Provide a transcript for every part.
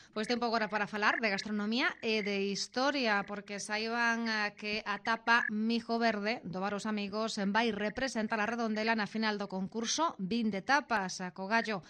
Pois tempo agora para falar de gastronomía e de historia, porque saiban que a tapa Mijo Verde do Bar Os Amigos vai representar a Redondela na final do concurso 20 tapas co gallo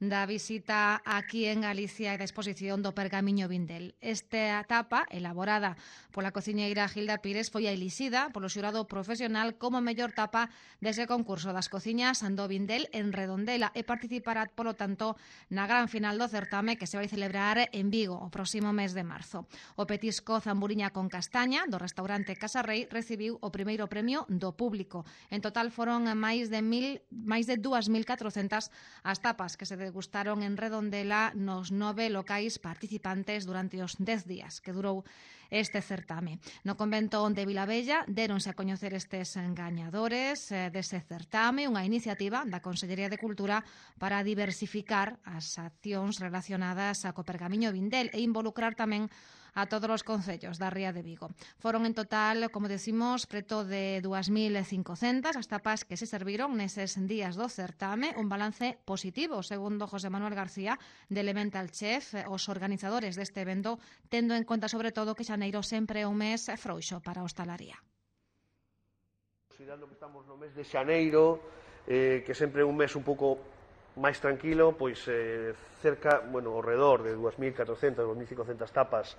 da visita aquí en Galicia e da exposición do Pergamiño Vindel. Esta tapa, elaborada pola cociñeira Gilda Pires, foi elixida polo xurado profesional como mellor tapa dese concurso das cociñas do Vindel en Redondela e participará, polo tanto, na gran final do certame que se vai celebrar en Vigo o próximo mes de marzo. O petisco Zamburiña con castaña do restaurante Casa Rei recibiu o primeiro premio do público. En total foron máis de 2.400 as tapas que se degustaron en Redondela nos 9 locais participantes durante os 10 días que durou este certame. No convento de Vilabella deronse a coñecer estes gañadores dese certame, unha iniciativa da Consellería de Cultura para diversificar as accións relacionadas co Pergamiño Vindel e involucrar tamén a todos os concellos da Ría de Vigo. Foron en total, como decimos, preto de 2.500 as tapas que se serviron neses días do certame, un balance positivo, segundo José Manuel García, de Elemental Chef, os organizadores deste evento, tendo en conta sobre todo que xaneiro sempre é un mes frouxo para a hostalaría. Considerando que estamos no mes de xaneiro, que sempre é un mes un pouco máis tranquilo, pois cerca, ao redor de 2.400, 2.500 tapas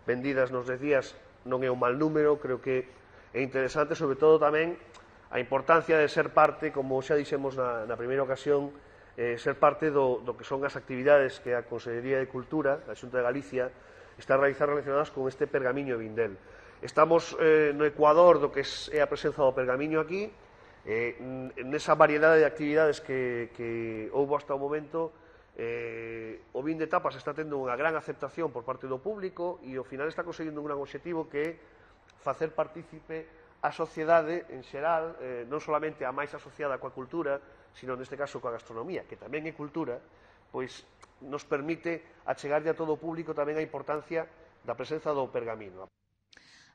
vendidas nos 10 días non é un mal número. Creo que é interesante, sobre todo tamén a importancia de ser parte, como xa dixemos na primeira ocasión, ser parte do que son as actividades que a Consellería de Cultura, a Xunta de Galicia, está a realizar relacionadas con este Pergamiño Vindel. Estamos no ecuador do que é a presenza do pergamiño aquí, nesa variedade de actividades que houve hasta o momento. O vin de tapas está tendo unha gran aceptación por parte do público e ao final está conseguindo un gran obxectivo que é facer partícipe a sociedade en xeral, non solamente a máis asociada coa cultura, sino neste caso coa gastronomía, que tamén é cultura, pois nos permite achegarlle a todo o público tamén a importancia da presenza do pergamino.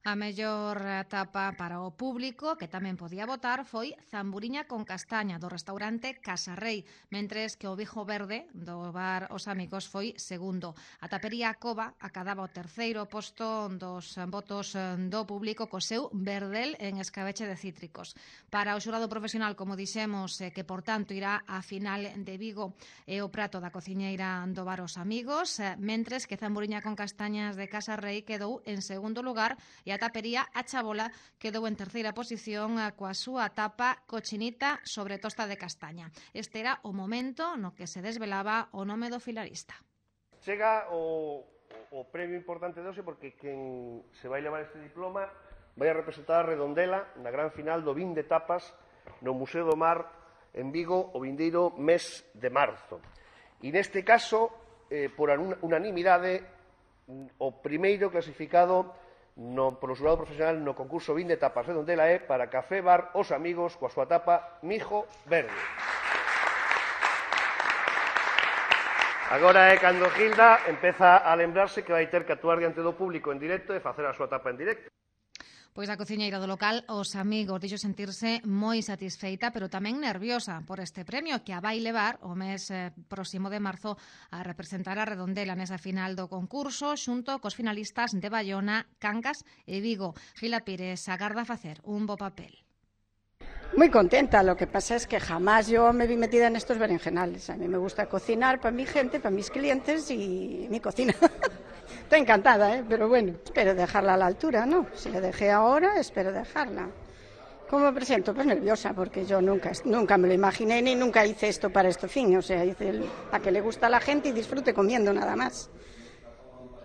A mellor tapa para o público, que tamén podía votar, foi Zamburiña con castaña do restaurante Casa Rei, mentres que o Mijo Verde do Bar Os Amigos foi segundo. A tapería Cova acadaba o terceiro posto dos votos do público co seu verdel en escabeche de cítricos. Para o xurado profesional, como dixemos, que por tanto irá á final de Vigo, é o prato da cociñeira do Bar Os Amigos, mentres que Zamburiña con castañas de Casa Rei quedou en segundo lugar e a tapería A Chabola quedou en terceira posición coa súa tapa cochinita sobre tosta de castaña. Este era o momento no que se desvelaba o nome do finalista. Chega o premio importante de hoxe porque quen se vai levar este diploma vai a representar a Redondela na gran final do 20 tapas no Museo do Mar en Vigo o vindeiro mes de marzo. E neste caso, por unanimidade, o primeiro clasificado polo xurado profesional no concurso 20 tapas Redondela é para Café Bar Os Amigos coa súa tapa Mijo Verde. Agora é cando Gilda empeza a lembrarse que vai ter que actuar diante do público en directo e facer a súa tapa en directo. Pois a cociñeira do local Os Amigos dixo sentirse moi satisfeita, pero tamén nerviosa por este premio que a vai levar o mes próximo de marzo a representar a Redondela nesa final do concurso xunto cos finalistas de Bayona, Cangas e Vigo. Gila Pires agarda facer un bo papel. Muy contenta, lo que pasa es que jamás yo me vi metida en estos berenjenales. A mí me gusta cocinar para mi gente, para mis clientes y mi cocina. Estoy encantada, pero bueno, espero dejarla a la altura, ¿no? Si la dejé ahora, espero dejarla. ¿Cómo me presento? Pues nerviosa, porque yo nunca me lo imaginé ni nunca hice esto para este fin. O sea, hice a que le gusta a la gente y disfrute comiendo nada más.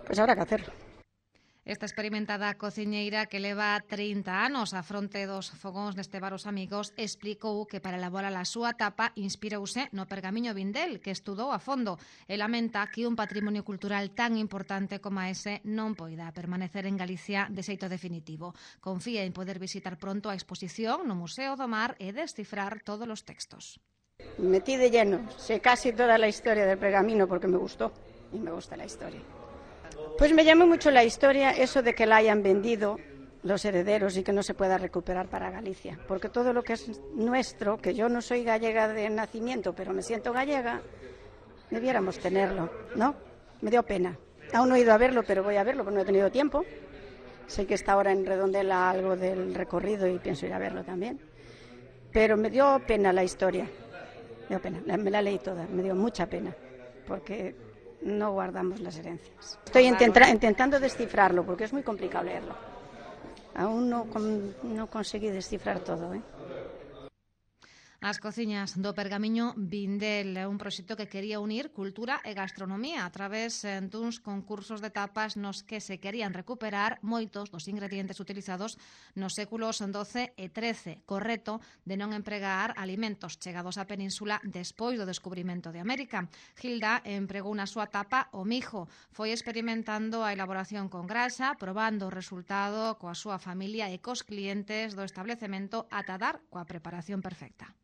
Pues habrá que hacerlo. Esta experimentada cociñeira que leva 30 anos á fronte dos fogóns neste Bar Os Amigos explicou que para elaborar a súa tapa inspirouse no Pergamiño Vindel, que estudou a fondo e lamenta que un patrimonio cultural tan importante como ese non poida permanecer en Galicia de xeito definitivo. Confía en poder visitar pronto a exposición no Museo do Mar e descifrar todos os textos. Metí de lleno, sé casi toda la historia del pergamino porque me gustó y me gusta la historia. Pues me llamó mucho la historia eso de que la hayan vendido los herederos y que no se pueda recuperar para Galicia, porque todo lo que es nuestro, que yo no soy gallega de nacimiento, pero me siento gallega, debiéramos tenerlo, ¿no? Me dio pena. Aún no he ido a verlo, pero voy a verlo porque no he tenido tiempo. Sé que está ahora en Redondela algo del recorrido y pienso ir a verlo también. Pero me dio pena la historia. Me dio pena. Me la leí toda, me dio mucha pena, porque no guardamos las herencias. Estoy intentando descifrarlo porque es muy complicado leerlo. Aún no conseguí descifrar todo, As cociñas do Pergamiño Vindel, un proxecto que quería unir cultura e gastronomía a través duns concursos de tapas nos que se querían recuperar moitos dos ingredientes utilizados nos séculos XII e XIII, co reto de non empregar alimentos chegados á península despois do descubrimento de América. Gilda empregou na súa tapa o mijo, foi experimentando a elaboración con grasa, probando o resultado coa súa familia e cos clientes do establecemento ata dar coa preparación perfecta.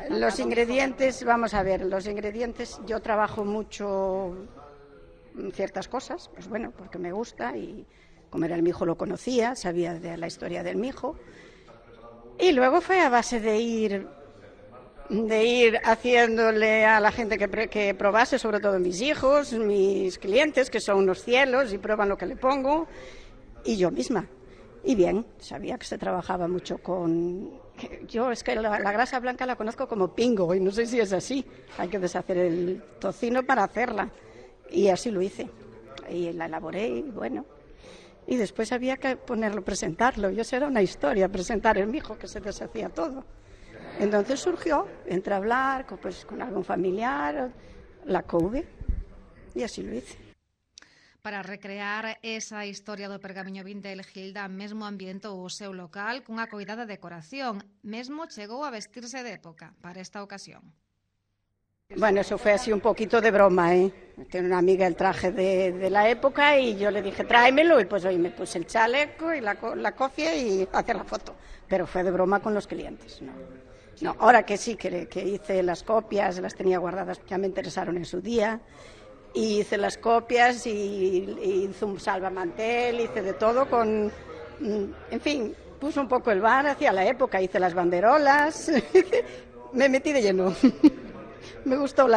Los ingredientes, vamos a ver, los ingredientes, yo trabajo mucho ciertas cosas, pues bueno, porque me gusta y comer el mijo lo conocía, sabía de la historia del mijo. Y luego fue a base de ir haciéndole a la gente que probase, sobre todo mis hijos, mis clientes, que son unos cielos y prueban lo que le pongo, y yo misma. Y bien, sabía que se trabajaba mucho con... Yo es que la grasa blanca la conozco como pingo y no sé si es así. Hay que deshacer el tocino para hacerla. Y así lo hice. Y la elaboré y bueno. Y después había que presentarlo. Y eso era una historia, presentar el mijo, que se deshacía todo. Entonces surgió, entre hablar con algún familiar, la couve. Y así lo hice. Para recrear esa historia do Pergamiño Vindel, Gilda mesmo ambientou o seu local cunha coidada decoración. Mesmo chegou a vestirse de época para esta ocasión. Bueno, eso fue así un poquito de broma, Tiene una amiga el traje de la época y yo le dije, tráemelo, y pues hoy me puse el chaleco y la cofia y hacer la foto. Pero fue de broma con los clientes, No, ahora que sí, que hice las copias, las tenía guardadas, ya me interesaron en su día. Y hice las copias y hice un salvamantel, hice de todo en fin, puse un poco el bar hacia la época, hice las banderolas, me metí de lleno. Me gustó.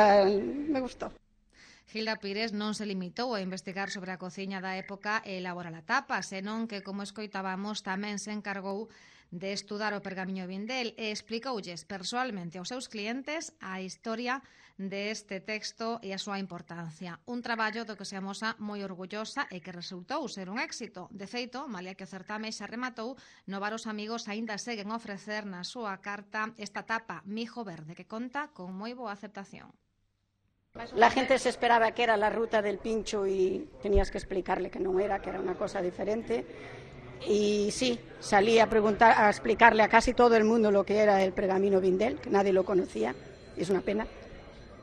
Gilda Pires non se limitou a investigar sobre a cociña da época e elaborar a tapa, senón que, como escoitábamos, tamén se encargou de estudar o Pergamiño Vindel e explicoulles persoalmente aos seus clientes a historia deste texto e a súa importancia. Un traballo do que se amosa moi orgullosa e que resultou ser un éxito. De feito, malia que o certame xa rematou, no bar os amigos aínda seguen a ofrecer na súa carta esta tapa mijo verde que conta con moi boa aceptación. La gente se esperaba que era la ruta del pincho y tenías que explicarle que no era, que era una cosa diferente. Y sí, salí a explicarle a casi todo el mundo lo que era el Pergamino Vindel, que nadie lo conocía. Es una pena,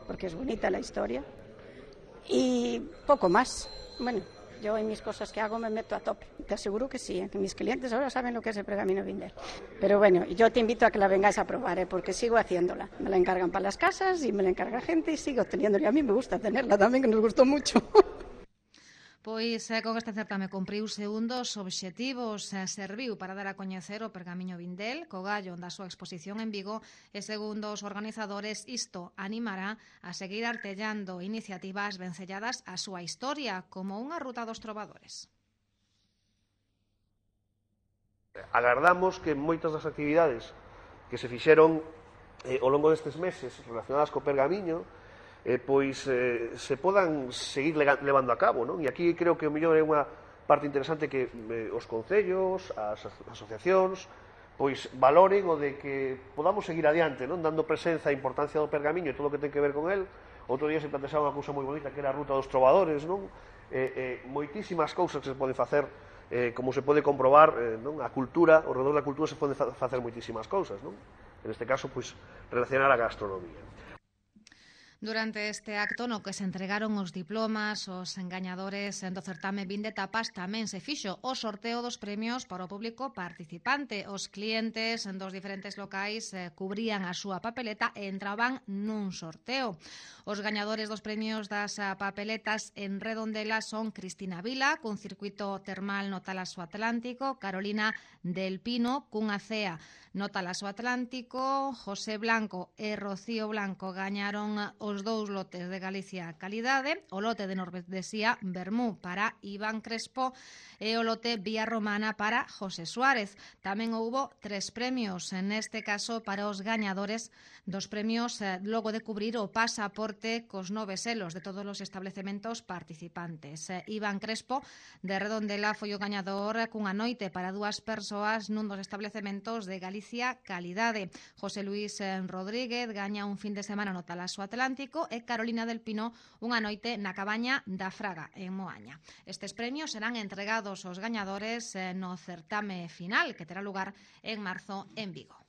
porque es bonita la historia. Y poco más. Bueno, yo en mis cosas que hago me meto a tope. Te aseguro que sí, que mis clientes ahora saben lo que es el Pergamino Vindel. Pero bueno, yo te invito a que la vengáis a probar, porque sigo haciéndola. Me la encargan para las casas y me la encarga gente y sigo teniéndola. Y a mí me gusta tenerla también, que nos gustó mucho. Pois con este certame cumpriuse un dos obxectivos, serviu para dar a coñecer o Pergamiño Vindel co gallo da súa exposición en Vigo e, segundo os organizadores, isto animará a seguir artellando iniciativas vencelladas á súa historia, como unha ruta dos trovadores. Agardamos que moitas das actividades que se fixeron ao longo destes meses relacionadas co Pergamiño se podan seguir levando a cabo, non? E aquí creo que o mellor é unha parte interesante que os concellos, as asociacións, pois valoren o de que podamos seguir adiante, non? Dando presenza a importancia do Pergamiño e todo o que ten que ver con el. Outro día se plantexaba unha cousa moi bonita que era a ruta dos trovadores, non? Moitísimas cousas que se poden facer, como se pode comprobar, non? A cultura, ao redor da cultura se poden facer moitísimas cousas, non? En este caso, pois, relacionar a gastronomía. Durante este acto no que se entregaron os diplomas, os engañadores do certame Vinde Tapas, tamén se fixo o sorteo dos premios para o público participante. Os clientes dos diferentes locais cubrían a súa papeleta e entraban nun sorteo. Os gañadores dos premios das papeletas en Redondela son Cristina Vila, cun circuito termal no Talaso Atlántico, Carolina del Pino, cunha cea no Talaso Atlántico, José Blanco e Rocío Blanco gañaron os os 2 lotes de Galicia Calidade, o lote de Nordesía Bermú para Iván Crespo e o lote Vía Romana para José Suárez. Tamén houbo 3 premios, neste caso para os gañadores dos premios logo de cubrir o pasaporte cos 9 selos de todos os establecementos participantes. Iván Crespo de Redondela foi o gañador cunha noite para 2 persoas nun dos establecementos de Galicia Calidade. José Luis Rodríguez gaña un fin de semana no Talaso Atlántico e Carolina del Pino unha noite na cabaña da Fraga, en Moaña. Estes premios serán entregados aos gañadores no certame final, que terá lugar en marzo en Vigo.